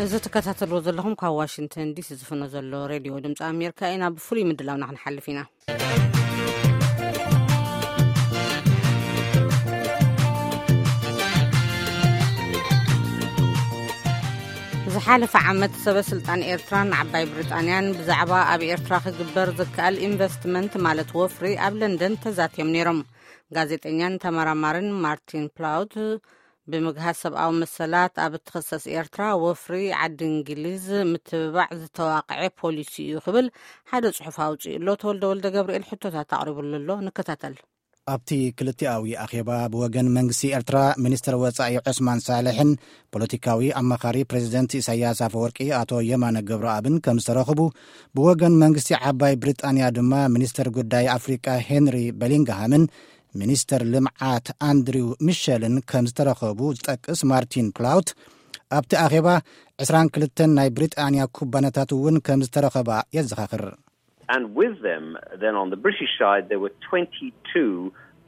እዚ ትከታተልዎ ዘለኹም ካብ ዋሽንግተን ዲሲ ዝፍኖ ዘሎ ሬድዮ ድምፂ ኣሜሪካ ኢና። ብፍሉይ ምድላውና ክንሓልፍ ኢና። ዝሓለፈ ዓመት ሰበ ስልጣን ኤርትራን ዓባይ ብሪጣንያን ብዛዕባ ኣብ ኤርትራ ክግበር ዝከኣል ኢንቨስትመንት ማለት ወፍሪ ኣብ ለንደን ተዛትዮም ነይሮም። ጋዜጠኛን ተመራማርን ማርቲን ፕላውት ብምግሃስ ሰብኣዊ መሰላት ኣብ እትኽሰስ ኤርትራ ወፍሪ ዓዲ እንግሊዝ ምትብባዕ ዝተዋቕዐ ፖሊሲ እዩ ክብል ሓደ ጽሑፍ ኣውጺኡ ኣሎ። ተወልደ ወልደ ገብርኤል ሕቶታት ኣቕሪቡሉ ኣሎ። ንከታተል። ኣብቲ ክልቲኣዊ ኣኼባ ብወገን መንግስቲ ኤርትራ ሚኒስትር ወጻኢ ዑስማን ሳልሕን ፖለቲካዊ ኣማኻሪ ፕሬዚደንት ኢሳያስ ኣፈወርቂ ኣቶ የማነ ገብረኣብን ከም ዝተረኽቡ፣ ብወገን መንግስቲ ዓባይ ብሪጣንያ ድማ ሚኒስትር ጉዳይ ኣፍሪቃ ሄንሪ በሊንግሃምን ሚኒስትር ልምዓት ኣንድሪው ሚሸልን ከም ዝተረኸቡ ዝጠቅስ ማርቲን ፕላውት፣ ኣብቲ ኣኼባ ዕስራን ክልተን ናይ ብሪጣንያ ኩባንያታት እውን ከም ዝተረኸባ የዘኻኽር። And with them, then on the British side, there were twenty-two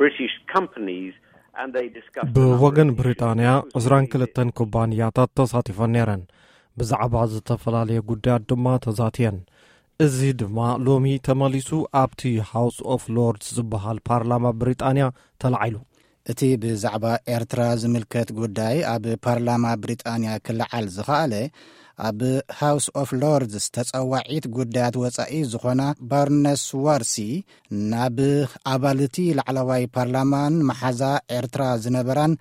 British companies, and they discussed a number of ብወገን issues, ብሪጣንያ including ዕስራን ክልተን ኩባንያታት ተሳቲፈን ነይረን። ብዛዕባ ዝተፈላለየ ጉዳያት ድማ ተዛትየን። እዚ ድማ ሎሚ ተመሊሱ ኣብቲ ሃውስ ኦፍ ሎርድስ ዝበሃል ፓርላማ ብሪጣንያ ተላዒሉ። እቲ ብዛዕባ ኤርትራ ዝምልከት ጉዳይ ኣብ ፓርላማ ብሪጣንያ ክለዓል ዝኸኣለ፣ ኣብ ሃውስ ኦፍ ሎርድስ ተጸዋዒት ጉዳያት ወጻኢ ዝኾና ባርነስ ዋርሲ ናብ ኣባልቲ ላዕለዋይ ፓርላማን መሓዛ ኤርትራ ዝነበራን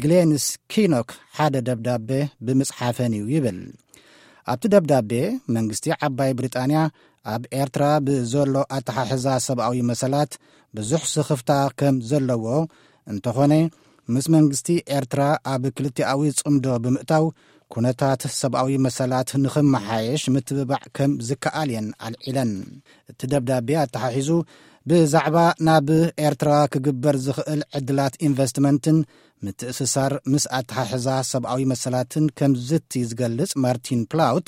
ግሌንስ ኪኖክ ሓደ ደብዳቤ ብምጽሓፈን እዩ ይብል። ኣብቲ ደብዳቤ መንግስቲ ዓባይ ብሪጣንያ ኣብ ኤርትራ ብዘሎ ኣተሓሕዛ ሰብኣዊ መሰላት ብዙሕ ስኽፍታ ከም ዘለዎ፣ እንተኾነ ምስ መንግስቲ ኤርትራ ኣብ ክልቲኣዊ ጽምዶ ብምእታው ኩነታት ሰብኣዊ መሰላት ንኽመሓየሽ ምትብባዕ ከም ዝከኣል እየን ኣልዒለን። እቲ ደብዳቤ ኣተሓሒዙ ብዛዕባ ናብ ኤርትራ ክግበር ዝኽእል ዕድላት ኢንቨስትመንትን ምትእስሳር ምስ ኣተሓሕዛ ሰብኣዊ መሰላትን ከም ዝቲ ዝገልጽ ማርቲን ፕላውት፣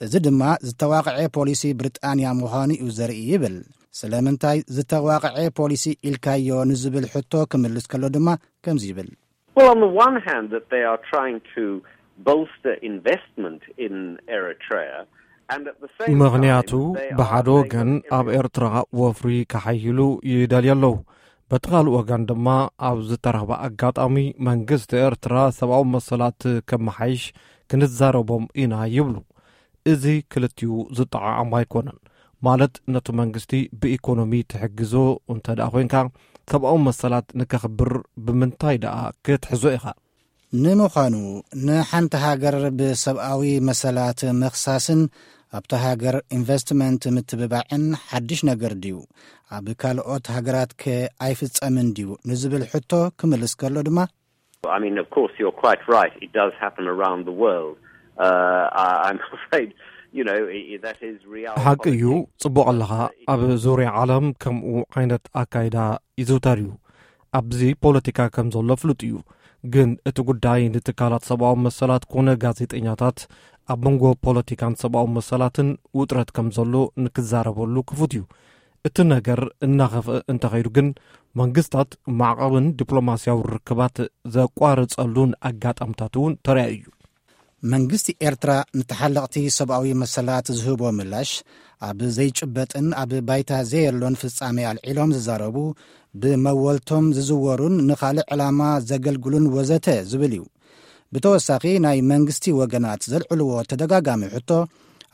እዚ ድማ ዝተዋቕዐ ፖሊሲ ብሪጣንያ ምዃኑ እዩ ዘርኢ ይብል። ስለምንታይ ዝተዋቕዐ ፖሊሲ ኢልካዮ ንዝብል ሕቶ ክምልስ ከሎ ድማ ከምዚ ይብል። Well, on the one hand, that they are trying to bolster investment in Eritrea, and at the same time, ምኽንያቱ they are ብሓደ playing ወገን a ኣብ ኤርትራ ወፍሪ ከሓይሉ ይደልዩ ኣለዉ። በቲ ካልእ ወገን ድማ ኣብ ዝተረኽበ ኣጋጣሚ መንግስቲ ኤርትራ ሰብኣዊ መሰላት ከመሓይሽ ክንዛረቦም ኢና ይብሉ። እዚ ክልቲኡ ዝጠዓዓም ኣይኮነን። ማለት ነቲ መንግስቲ ብኢኮኖሚ ትሕግዞ እንተ ደኣ ኮይንካ፣ ሰብኣዊ መሰላት ንከኽብር ብምንታይ ደኣ ክትሕዞ ኢኻ? ንምዃኑ ንሓንቲ ሃገር ብሰብኣዊ መሰላት ምኽሳስን ኣብታ ሃገር ኢንቨስትመንት ምትብባዕን ሓድሽ ነገር ድዩ? ኣብ ካልኦት ሃገራትከ ኣይፍጸምን ድዩ ንዝብል ሕቶ ክምልስ ከሎ ድማ፣ I mean, of course, you're quite right. It does happen around the world. Uh, I, I'm afraid, you know, i- i- that is reality. ሓቂ እዩ፣ ጽቡቕ ኣለኻ። ኣብ ዙርያ ዓለም ከምኡ ዓይነት ኣካይዳ ይዝውተር እዩ። ኣብዚ ፖለቲካ ከም ዘሎ ፍሉጥ እዩ። ግን እቲ ጉዳይ ንትካላት ሰብኣዊ መሰላት ኮነ ጋዜጠኛታት ኣብ መንጎ ፖለቲካን ሰብኣዊ መሰላትን ውጥረት ከም ዘሎ ንክዛረበሉ ክፉት እዩ። እቲ ነገር እናኸፍአ እንተኸይዱ ግን መንግስታት ማዕቐብን ዲፕሎማስያዊ ርክባት ዘቋርጸሉን ኣጋጣምታት እውን ተራእዩ እዩ። መንግስቲ ኤርትራ ንተሓለቕቲ ሰብኣዊ መሰላት ዝህቦ ምላሽ ኣብ ዘይጭበጥን ኣብ ባይታ ዘየሎን ፍጻሜ ኣልዒሎም ዝዛረቡ፣ ብመወልቶም ዝዝወሩን ንኻልእ ዕላማ ዘገልግሉን ወዘተ ዝብል እዩ። ብተወሳኺ ናይ መንግስቲ ወገናት ዘልዕልዎ ተደጋጋሚ ሕቶ፣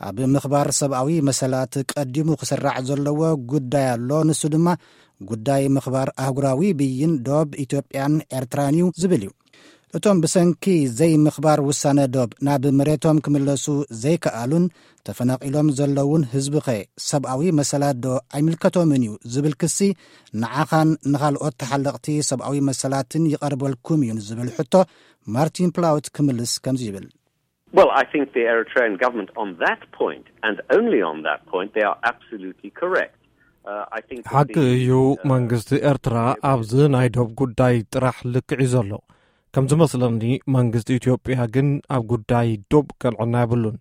ኣብ ምኽባር ሰብኣዊ መሰላት ቀዲሙ ክስራዕ ዘለዎ ጉዳይ ኣሎ። ንሱ ድማ ጉዳይ ምኽባር ኣህጉራዊ ብይን ዶብ ኢትዮጵያን ኤርትራን እዩ ዝብል እዩ። እቶም ብሰንኪ ዘይምኽባር ውሳነ ዶብ ናብ መሬቶም ክምለሱ ዘይከኣሉን ተፈናቒሎም ዘለውን ህዝብኸ ሰብኣዊ መሰላት ዶ ኣይምልከቶምን እዩ ዝብል ክሲ ንዓኻን ንኻልኦት ተሓለቕቲ ሰብኣዊ መሰላትን ይቐርበልኩም እዩ ንዝብል ሕቶ ማርቲን ፕላውት ክምልስ ከምዚ ይብል። Well, I think the Eritrean government on that point, and only on that point, they are absolutely correct. Uh, I think that ሓቂ the, እዩ። uh, መንግስቲ ኤርትራ ኣብዚ ናይ ዶብ ጉዳይ ጥራሕ ልክዕ እዩ ዘሎ። ከም ዝመስለኒ መንግስቲ ኢትዮጵያ ግን ኣብ ጉዳይ ዶብ ቅንዕና የብሉን።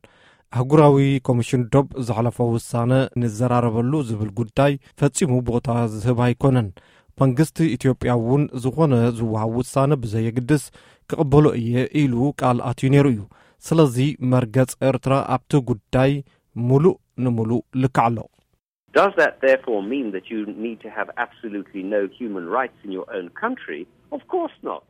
ኣህጉራዊ ኮሚሽን ዶብ ዘሕለፎ ውሳነ ንዘራረበሉ ዝብል ጉዳይ ፈጺሙ ቦታ ዝህብ ኣይኮነን። መንግስቲ ኢትዮጵያ እውን ዝኾነ ዝወሃብ ውሳነ ብዘየግድስ ክቕበሎ እየ ኢሉ ቃል ኣትዩ ነይሩ እዩ። ስለዚ መርገጽ ኤርትራ ኣብቲ ጉዳይ ሙሉእ ንሙሉእ ልክዕ ኣሎ። Does that therefore mean that you need to have absolutely no human rights in your own country? Of course not.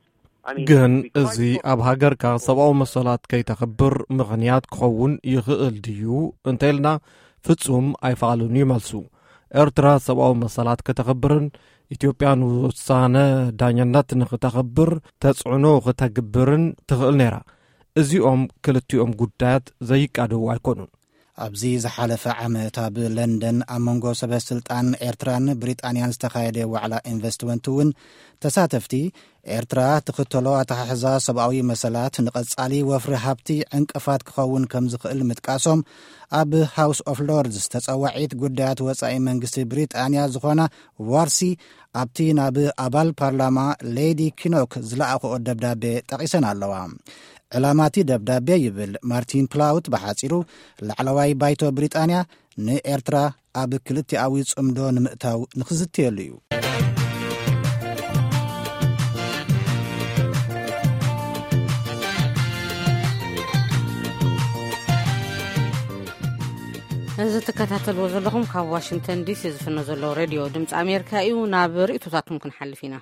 I mean, ግን we quite እዚ possibly ኣብ ሃገርካ ሰብኣዊ መሰላት ከይተኽብር ምኽንያት ክኸውን ይኽእል ድዩ እንተኢልና፣ ፍጹም ኣይፈቓሉን እዩ መልሱ። ኤርትራ ሰብኣዊ መሰላት ከተኽብርን ኢትዮጵያ ንውሳነ ዳኝነት ንኽተኽብር ተጽዕኖ ክተግብርን ትኽእል ነይራ። እዚኦም ክልቲኦም ጉዳያት ዘይቃደዉ ኣይኮኑን። ኣብዚ ዝሓለፈ ዓመት ኣብ ለንደን ኣብ መንጎ ሰበ ስልጣን ኤርትራን ብሪጣንያን ዝተኻየደ ዋዕላ ኢንቨስትመንት እውን ተሳተፍቲ፣ ኤርትራ ትኽተሎ ኣተሓሕዛ ሰብኣዊ መሰላት ንቐጻሊ ወፍሪ ሃብቲ ዕንቅፋት ክኸውን ከም ዝኽእል ምጥቃሶም፣ ኣብ ሃውስ ኦፍ ሎርድስ ተጸዋዒት ጉዳያት ወጻኢ መንግስቲ ብሪጣንያ ዝኾና ዋርሲ ኣብቲ ናብ ኣባል ፓርላማ ሌዲ ኪኖክ ዝለኣኽኦ ደብዳቤ ጠቒሰን ኣለዋ። ዕላማ እቲ ደብዳቤ ይብል ማርቲን ፕላውት ብሓጺሩ፣ ላዕለዋይ ባይቶ ብሪጣንያ ንኤርትራ ኣብ ክልቲኣዊ ጽምዶ ንምእታው ንኽዝትየሉ እዩ። እዚ ትከታተልዎ ዘለኹም ካብ ዋሽንግተን ዲሲ ዝፍኖ ዘሎ ሬድዮ ድምፂ ኣሜሪካ እዩ። ናብ ርእይቶታትኩም ክንሓልፍ ኢና።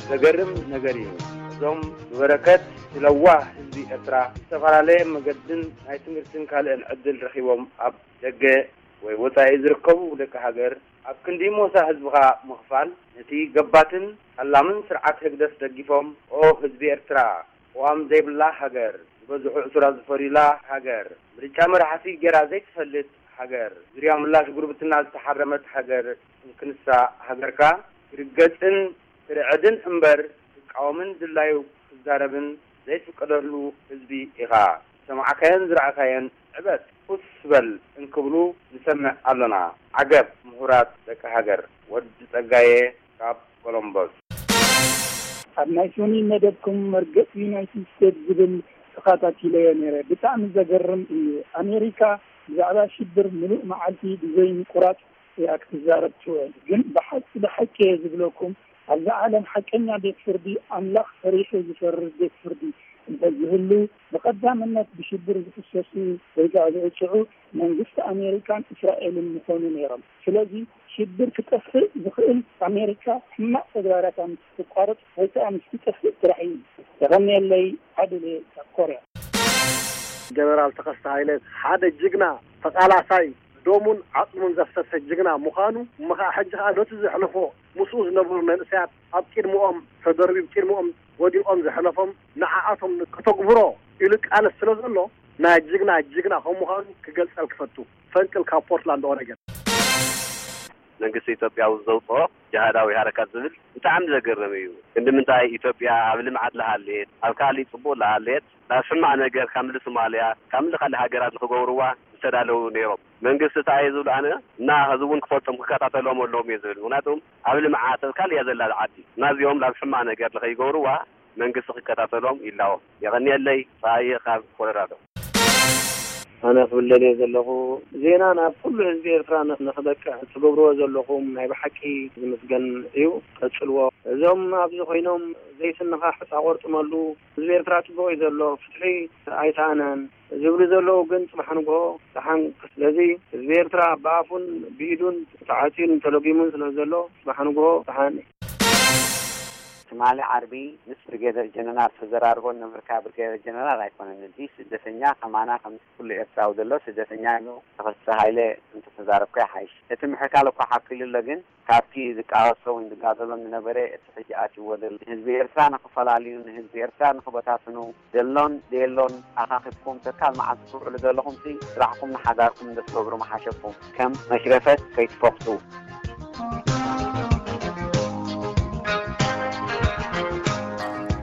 ዘገርም ነገር እዩ። እዞም ብበረከት ዝለዋህ ህዝቢ ኤርትራ ዝተፈላለየ መገድን ናይ ትምህርትን ካልእን ዕድል ረኺቦም ኣብ ደገ ወይ ወጻኢ ዝርከቡ ደቂ ሃገር ኣብ ክንዲ ሞሳ ህዝብኻ ምኽፋል፣ ነቲ ገባትን ጠላምን ስርዓት ህግደፍ ደጊፎም፣ ኦ ህዝቢ ኤርትራ፣ ቅዋም ዘይብላ ሃገር፣ ዝበዝሑ ዕሱራት ዝፈርዩላ ሃገር፣ ምርጫ መራሕቲ ጌራ ዘይትፈልጥ ሃገር፣ ዙርያ ምላሽ ጉርብትና ዝተሓረመት ሃገር እንክንሳ ሃገርካ ክርገጽን ክርዕድን እምበር ክቃወምን ድላዩ ክዛረብን ዘይፍቀደሉ ህዝቢ ኢኻ። ዝሰማዕካዮን ዝረኣኻዮን ዕበጥ፣ ፉስ በል እንክብሉ ንሰምዕ ኣሎና። ዓገብ ምሁራት ደቂ ሃገር። ወዲ ጸጋየ ካብ ኮሎምቦስ። ኣብ ናይ ሶኒ መደብኩም መርገጽ ዩናይትድ ስቴትስ ዝብል ተኸታቲለዮ ነይረ። ብጣዕሚ ዘገርም እዩ። ኣሜሪካ ብዛዕባ ሽብር ምሉእ መዓልቲ ብዘይ ምቁራጽ እያ ክትዛረብ ትውዕል። ግን ብሓቂ ብሓቂ እየ ዝብለኩም፣ ኣብዛ ዓለም ሓቀኛ ቤት ፍርዲ፣ ኣምላኽ ፈሪሑ ዝፈርድ ቤት ፍርዲ እንተዝህሉ፣ ብቐዳምነት ብሽብር ዝኽሰሱ ወይ ከዓ ዝቕፅዑ መንግስቲ ኣሜሪካን እስራኤልን ምኾኑ ነይሮም። ስለዚ ሽብር ክጠፍእ ዝኽእል ኣሜሪካ ሕማቕ ተግባራታ ምስ ትቋርፅ ወይ ከዓ ምስ ትጠፍእ ጥራሕ እዩ። የቐንየለይ። ዓድል እየ ካብ ኮርያ። ጀነራል ተኸስተ ሃይለ ሓደ ጅግና ተቓላሳይ ደሙን ዓጽሙን ዘፍሰሰ ጅግና ምዃኑ እሞ ኸዓ ሕጂ ኸዓ ነቲ ዘሕለፎ ምስኡ ዝነበሩ መንእሰያት ኣብ ቅድምኦም ተደርቢብ ቅድምኦም ወዲቖም ዘሕለፎም ንዓኣቶም ከተግብሮ ኢሉ ቃለስ ስለ ዘሎ ናይ ጅግና ጅግና ከም ምዃኑ ክገልጸል ክፈቱ። ፈንቅል ካብ ፖርትላንድ ኦረገን። መንግስቲ ኢትዮጵያ እውን ዘውፅኦ ጅሃዳዊ ሃረካት ዝብል ብጣዕሚ ዘገርም እዩ። ክንዲ ምንታይ ኢትዮጵያ ኣብ ልምዓት ለሃልየት፣ ኣብ ካሊእ ፅቡቅ ለሃልየት፣ ናብ ሕማቅ ነገር ካብ ምሊ ሶማልያ ካብ ምሊ ካሊእ ሃገራት ንክገብርዋ ዝተዳለዉ ነይሮም። መንግስቲ እንታይ እየ ዝብል ኣነ እና ህዝቢ እውን ክፈልጦም ክከታተሎም ኣለዎም እየ ዝብል። ምክንያቱም ኣብ ልምዓት ኣብ ካሊእ እያ ዘላ ዓዲ እና እዚኦም ናብ ሕማቅ ነገር ንከይገብርዋ መንግስቲ ክከታተሎም ይላዎም። የቐንየለይ። ፀሃየ ካብ ኮሎራዶ። ኣነ ክብል ደልየ ዘለኹ ዜና ናብ ኩሉ ህዝቢ ኤርትራ ንኽበቅዕ ትገብርዎ ዘለኹም ናይ ብሓቂ ዝምስገን እዩ። ቀጽልዎ። እዞም ኣብዚ ኮይኖም ዘይስንኻ ሕጻ ቆርጥመሉ ህዝቢ ኤርትራ ጽቡቕ እዩ ዘሎ፣ ፍትሒ ኣይሰኣነን ዝብሉ ዘለዉ ግን ጽባሕ ንግሆ ደሓን። ስለዚ ህዝቢ ኤርትራ ብኣፉን ብኢዱን ተዓጽዩን ተለጒሙን ስለ ዘሎ ጽባሕ ንግሆ ደሓን። ትማሊ ዓርቢ ምስ ብርጌደር ጀነራል ተዘራርቦ ነበርካ። ብርጌደር ጀነራል ኣይኮነን፣ እዚ ስደተኛ ከማና ከም ኩሉ ኤርትራዊ ዘሎ ስደተኛ እዩ። ተኸስተ ሃይለ እንተተዛረብካ ይሓይሽ። እቲ ምሕካል እኳ ሓኪሉ ኣሎ፣ ግን ካብቲ ዝቃወሶ ወይ ዝጋደሎ ዝነበረ እቲ ሕጂ ኣትይዎ ዘሎ ንህዝቢ ኤርትራ ንኽፈላልዩ፣ ንህዝቢ ኤርትራ ንኽበታትኑ፣ ዘሎን ዘየሎን ኣኻኺብኩም ተካል መዓልቲ ትውዕሉ ዘለኹምሲ ስራሕኩም ንሓዳርኩም እንተትገብሩ ምሓሸኩም። ከም መሽረፈት ከይትፈኽቱ።